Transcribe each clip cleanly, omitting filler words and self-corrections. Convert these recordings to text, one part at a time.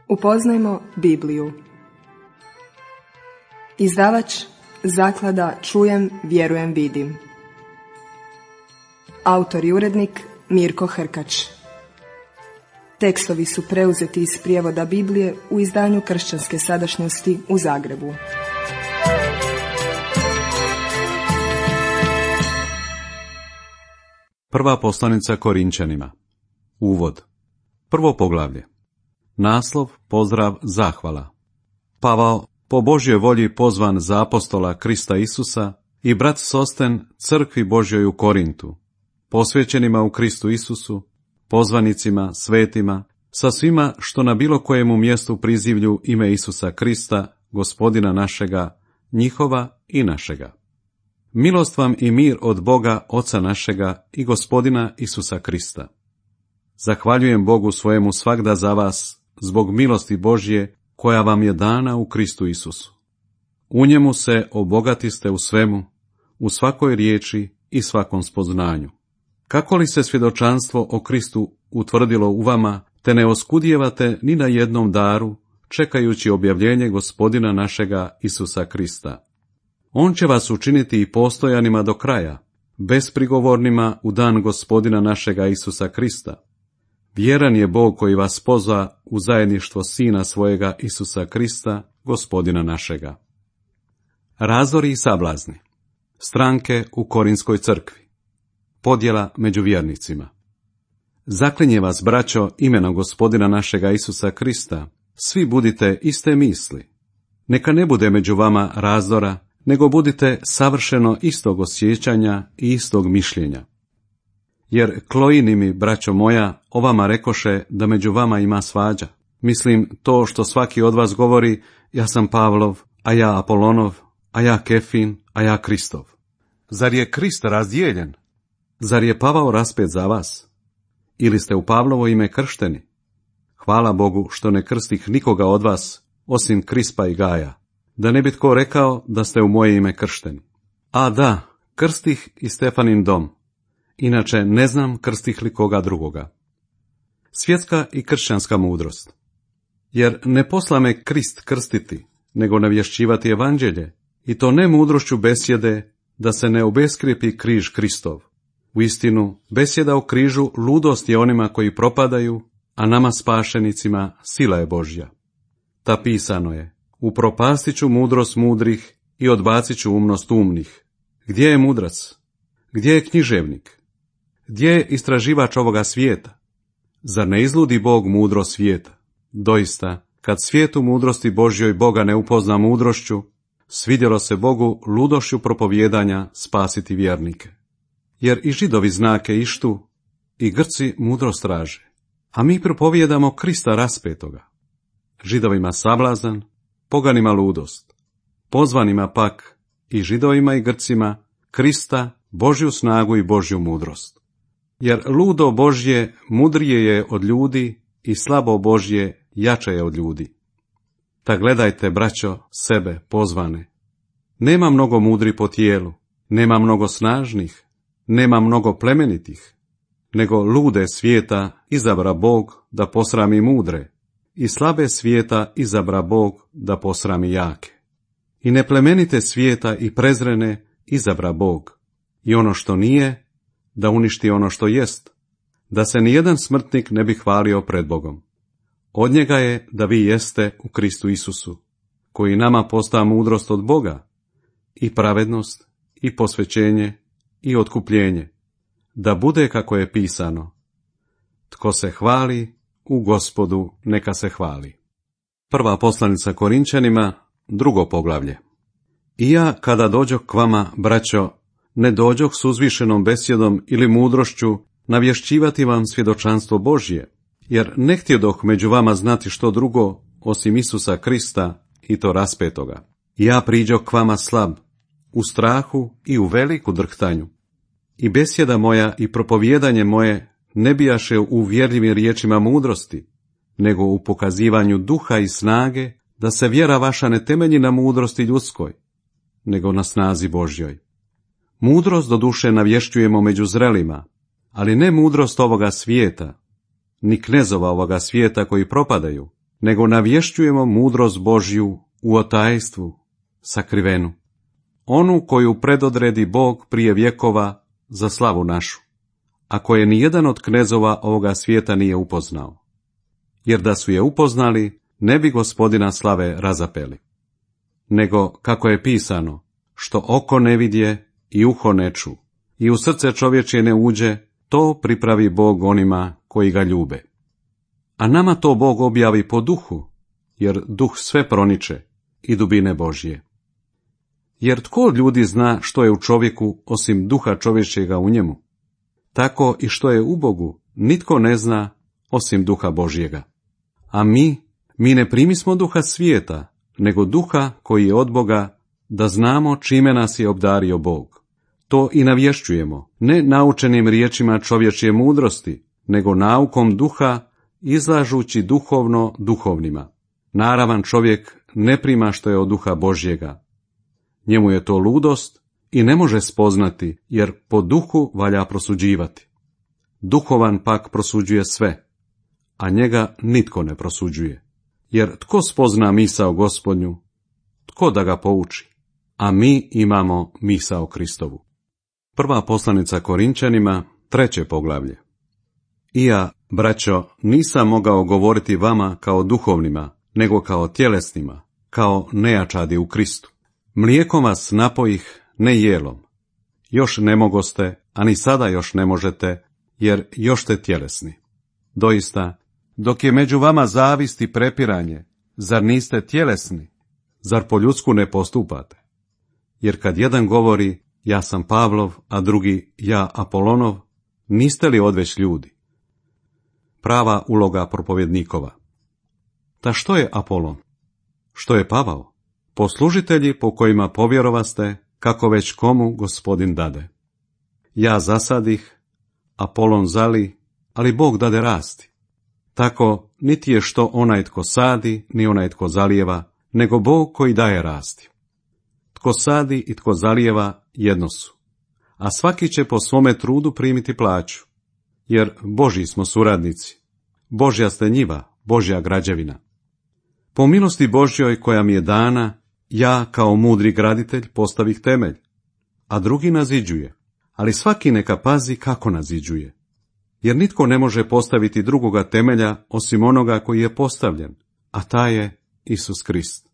Upoznajmo Bibliju. Izdavač Zaklada Čujem, vjerujem, vidim. Autor i urednik Mirko Hrkač. Tekstovi su preuzeti iz prijevoda Biblije u izdanju Kršćanske sadašnjosti u Zagrebu. Prva poslanica Korinčanima. Uvod. Prvo poglavlje. Naslov, pozdrav, zahvala. Pavao, po Božjoj volji pozvan za apostola Krista Isusa, i brat Sosten crkvi Božjoj u Korintu, posvećenima u Kristu Isusu, pozvanicima, svetima, sa svima što na bilo kojemu mjestu prizivlju ime Isusa Krista, Gospodina našega, njihova i našega. Milost vam i mir od Boga, Oca našega i Gospodina Isusa Krista. Zahvaljujem Bogu svojemu svagda za vas, zbog milosti Božje, koja vam je dana u Kristu Isusu. U njemu se obogatiste u svemu, u svakoj riječi i svakom spoznanju. Kako li se svjedočanstvo o Kristu utvrdilo u vama, te ne oskudijevate ni na jednom daru, čekajući objavljenje Gospodina našega Isusa Krista. On će vas učiniti i postojanima do kraja, besprigovornima u dan Gospodina našega Isusa Krista. Vjeran je Bog koji vas pozva u zajedništvo Sina svojega Isusa Krista, Gospodina našega. Razdori i sablazni. Stranke u Korinskoj crkvi. Podjela među vjernicima. Zaklinje vas, braćo, imenom Gospodina našega Isusa Krista, svi budite iste misli. Neka ne bude među vama razdora, nego budite savršeno istog osjećanja i istog mišljenja. Jer Kloini mi, braćo moja, o vama rekoše da među vama ima svađa. Mislim to što svaki od vas govori, ja sam Pavlov, a ja Apolonov, a ja Kefin, a ja Kristov. Zar je Krist razdijeljen? Zar je Pavao raspet za vas? Ili ste u Pavlovo ime kršteni? Hvala Bogu što ne krstih nikoga od vas, osim Krispa i Gaja, da ne bi tko rekao da ste u moje ime kršteni. A da, krstih i Stefanin dom, inače ne znam krstih li koga drugoga. Svjetska i kršćanska mudrost. Jer ne posla me Krist krstiti, nego navješćivati evanđelje, i to ne mudrošću besjede, da se ne obeskrijepi križ Kristov. Uistinu, besjeda o križu ludost je onima koji propadaju, a nama spašenicima sila je Božja. Ta pisano je, upropastit ću mudrost mudrih i odbacit ću umnost umnih. Gdje je mudrac? Gdje je književnik? Gdje je istraživač ovoga svijeta? Zar ne izludi Bog mudrost svijeta? Doista, kad svijetu mudrosti Božjoj Boga ne upozna mudrošću, svidjelo se Bogu ludošću propovijedanja spasiti vjernike. Jer i Židovi znake ištu, i Grci mudrost traže, a mi propovijedamo Krista raspetoga. Židovima sablazan, poganima ludost, pozvanima pak, i Židovima i Grcima, Krista, Božju snagu i Božju mudrost. Jer ludo Božje mudrije je od ljudi i slabo Božje jače je od ljudi. Ta gledajte, braćo, sebe pozvane. Nema mnogo mudri po tijelu, nema mnogo snažnih, nema mnogo plemenitih, nego lude svijeta izabra Bog da posrami mudre, i slabe svijeta izabra Bog da posrami jake. I neplemenite svijeta i prezrene izabra Bog, i ono što nije, da uništi ono što jest, da se nijedan smrtnik ne bi hvalio pred Bogom. Od njega je da vi jeste u Kristu Isusu, koji nama posta mudrost od Boga, i pravednost, i posvećenje, i otkupljenje, da bude kako je pisano. Tko se hvali, u Gospodu neka se hvali. Prva poslanica Korinčanima, drugo poglavlje. I ja, kada dođoh k vama, braćo, ne dođoh s uzvišenom besjedom ili mudrošću navješćivati vam svjedočanstvo Božje, jer ne htjedoh među vama znati što drugo, osim Isusa Krista i to raspetoga. Ja priđoh k vama slab, u strahu i u veliku drhtanju. I besjeda moja i propovijedanje moje ne bijaše u uvjerljivim riječima mudrosti, nego u pokazivanju duha i snage, da se vjera vaša ne temelji na mudrosti ljudskoj, nego na snazi Božjoj. Mudrost doduše navješćujemo među zrelima, ali ne mudrost ovoga svijeta, ni knezova ovoga svijeta koji propadaju, nego navješćujemo mudrost Božju u otajstvu, sakrivenu, onu koju predodredi Bog prije vjekova za slavu našu, a koje nijedan od knezova ovoga svijeta nije upoznao. Jer da su je upoznali, ne bi Gospodina slave razapeli. Nego, kako je pisano, što oko ne vidje i uho ne ču, i u srce čovječje ne uđe, to pripravi Bog onima koji ga ljube. A nama to Bog objavi po duhu, jer duh sve proniče i dubine Božje. Jer tko od ljudi zna što je u čovjeku osim duha čovječjega u njemu? Tako i što je u Bogu nitko ne zna osim duha Božjega. A mi ne primismo duha svijeta, nego duha koji je od Boga, da znamo čime nas je obdario Bog. To i navješćujemo, ne naučenim riječima čovječje mudrosti, nego naukom duha, izlažući duhovno duhovnima. Naravan čovjek ne prima što je od duha Božjega. Njemu je to ludost i ne može spoznati, jer po duhu valja prosuđivati. Duhovan pak prosuđuje sve, a njega nitko ne prosuđuje. Jer tko spozna misao Gospodnju, tko da ga pouči? A mi imamo misao Kristovu. Prva poslanica Korinčanima, 3. poglavlje. I ja, braćo, nisam mogao govoriti vama kao duhovnima, nego kao tjelesnima, kao nejačadi u Kristu. Mlijekom vas napojih, ne jelom. Još ne mogoste, a ni sada još ne možete, jer još ste tjelesni. Doista, dok je među vama zavist i prepiranje, zar niste tjelesni? Zar po ljudsku ne postupate? Jer kad jedan govori, ja sam Pavlov, a drugi, ja Apolonov, niste li odveć ljudi? Prava uloga propovjednikova. Ta što je Apolon? Što je Pavao? Poslužitelji po kojima povjerovaste, kako već komu Gospodin dade. Ja zasadih, Apolon zali, ali Bog dade rasti. Tako niti je što onaj tko sadi, ni onaj tko zalijeva, nego Bog koji daje rasti. Tko sadi i tko zalijeva jedno su, a svaki će po svome trudu primiti plaću, jer Božji smo suradnici, Božja ste njiva, Božja građevina. Po milosti Božjoj koja mi je dana, ja kao mudri graditelj postavih temelj, a drugi naziđuje, ali svaki neka pazi kako naziđuje. Jer nitko ne može postaviti drugoga temelja osim onoga koji je postavljen, a taj je Isus Krist.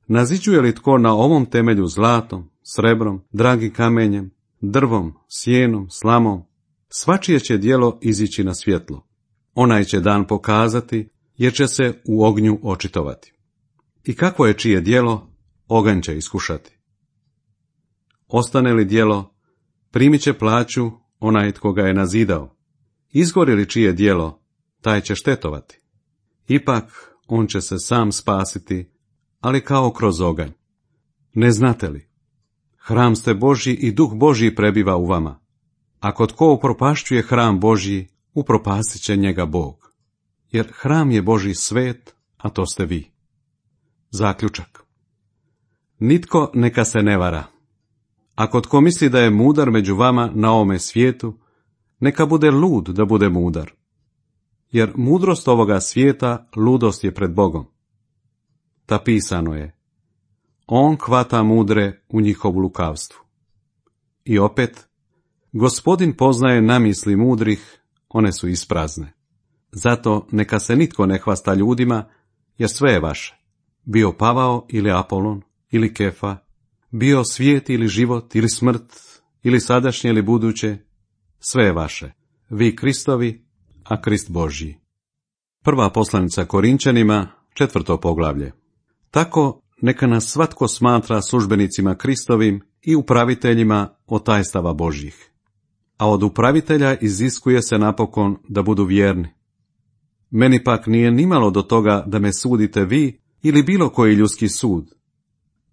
Naziđuje li tko na ovom temelju zlatom, srebrom, dragim kamenjem, drvom, sjenom, slamom, svačije će djelo izići na svjetlo. Onaj će dan pokazati, jer će se u ognju očitovati. I kakvo je čije djelo, oganj će iskušati. Ostane li djelo, primit će plaću onaj tko ga je nazidao. Izgori li čije djelo, taj će štetovati. Ipak on će se sam spasiti, ali kao kroz oganj. Ne znate li? Hram ste Božji i Duh Božji prebiva u vama. Ako tko upropašćuje hram Božji, upropasit će njega Bog. Jer hram je Božji svet, a to ste vi. Zaključak. Nitko neka se ne vara. Ako tko misli da je mudar među vama na ovome svijetu, neka bude lud da bude mudar. Jer mudrost ovoga svijeta ludost je pred Bogom. Ta pisano je, on hvata mudre u njihovu lukavstvu. I opet, Gospodin poznaje namisli mudrih, one su isprazne. Zato neka se nitko ne hvasta ljudima, jer sve je vaše. Bio Pavao ili Apolon, ili Kefa, bio svijet ili život, ili smrt, ili sadašnje ili buduće, sve je vaše. Vi Kristovi, a Krist Božji. Prva poslanica Korinčanima, 4. poglavlje. Tako neka nas svatko smatra službenicima Kristovim i upraviteljima otajstava Božjih. A od upravitelja iziskuje se napokon da budu vjerni. Meni pak nije nimalo do toga da me sudite vi ili bilo koji ljudski sud,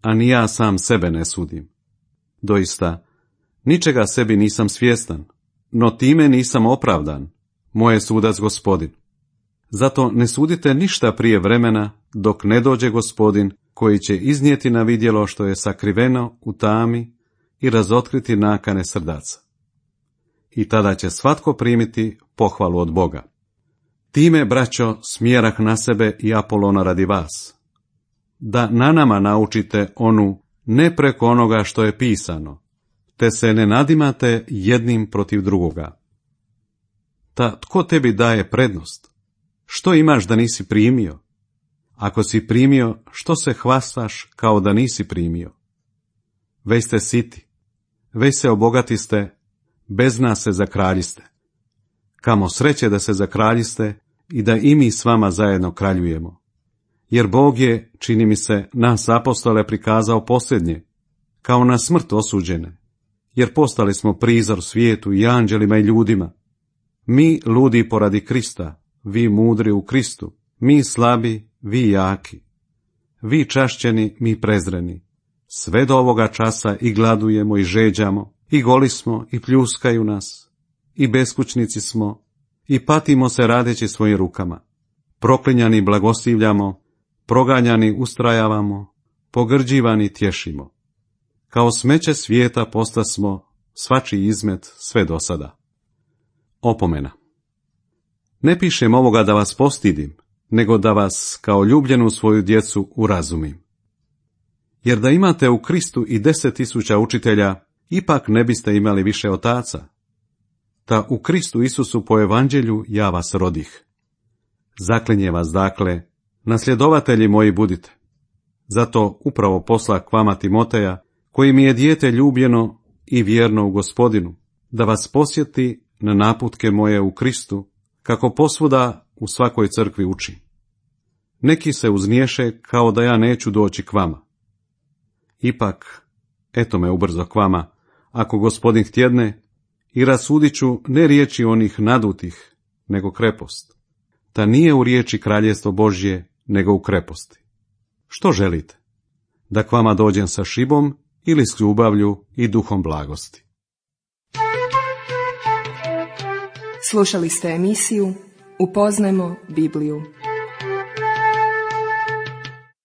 a ni ja sam sebe ne sudim. Doista, ničega sebi nisam svjestan, no time nisam opravdan, moj je sudac Gospodin. Zato ne sudite ništa prije vremena, dok ne dođe Gospodin, koji će iznijeti na vidjelo što je sakriveno u tami i razotkriti nakane srdaca. I tada će svatko primiti pohvalu od Boga. Time, braćo, smjerah na sebe i Apolona radi vas, da na nama naučite onu ne preko onoga što je pisano, te se ne nadimate jednim protiv drugoga. Ta tko tebi daje prednost? Što imaš da nisi primio? Ako si primio, što se hvastaš kao da nisi primio? Već ste siti, već se obogatiste, bez nas se zakraljiste. Kamo sreće da se zakraljiste i da i mi s vama zajedno kraljujemo. Jer Bog je, čini mi se, nas apostole prikazao posljednje, kao na smrt osuđene, jer postali smo prizor svijetu i anđelima i ljudima. Mi ludi poradi Krista, vi mudri u Kristu, mi slabi, vi jaki. Vi čašćeni, mi prezreni. Sve do ovoga časa i gladujemo i žeđamo, i goli smo, i pljuskaju nas, i beskućnici smo, i patimo se radeći svojim rukama. Proklinjani blagoslivljamo, proganjani ustrajavamo, pogrđivani tješimo. Kao smeće svijeta postasmo, svačiji izmet sve do sada. Opomena. Ne pišem ovoga da vas postidim, nego da vas kao ljubljenu svoju djecu urazumim. Jer da imate u Kristu i 10.000 učitelja, ipak ne biste imali više otaca. Ta u Kristu Isusu po evanđelju ja vas rodih. Zaklinje vas dakle, nasljedovatelji moji budite. Zato upravo posla k vama Timoteja, koji mi je dijete ljubljeno i vjerno u Gospodinu, da vas posjeti na naputke moje u Kristu, kako posvuda u svakoj crkvi uči. Neki se uzniješe kao da ja neću doći k vama. Ipak, eto me ubrzo k vama, ako Gospodin htjedne, i rasudit ću ne riječi onih nadutih, nego krepost. Ta nije u riječi kraljestvo Božje, nego u kreposti. Što želite? Da k vama dođem sa šibom ili s ljubavlju i duhom blagosti? Slušali ste emisiju Upoznajmo Bibliju.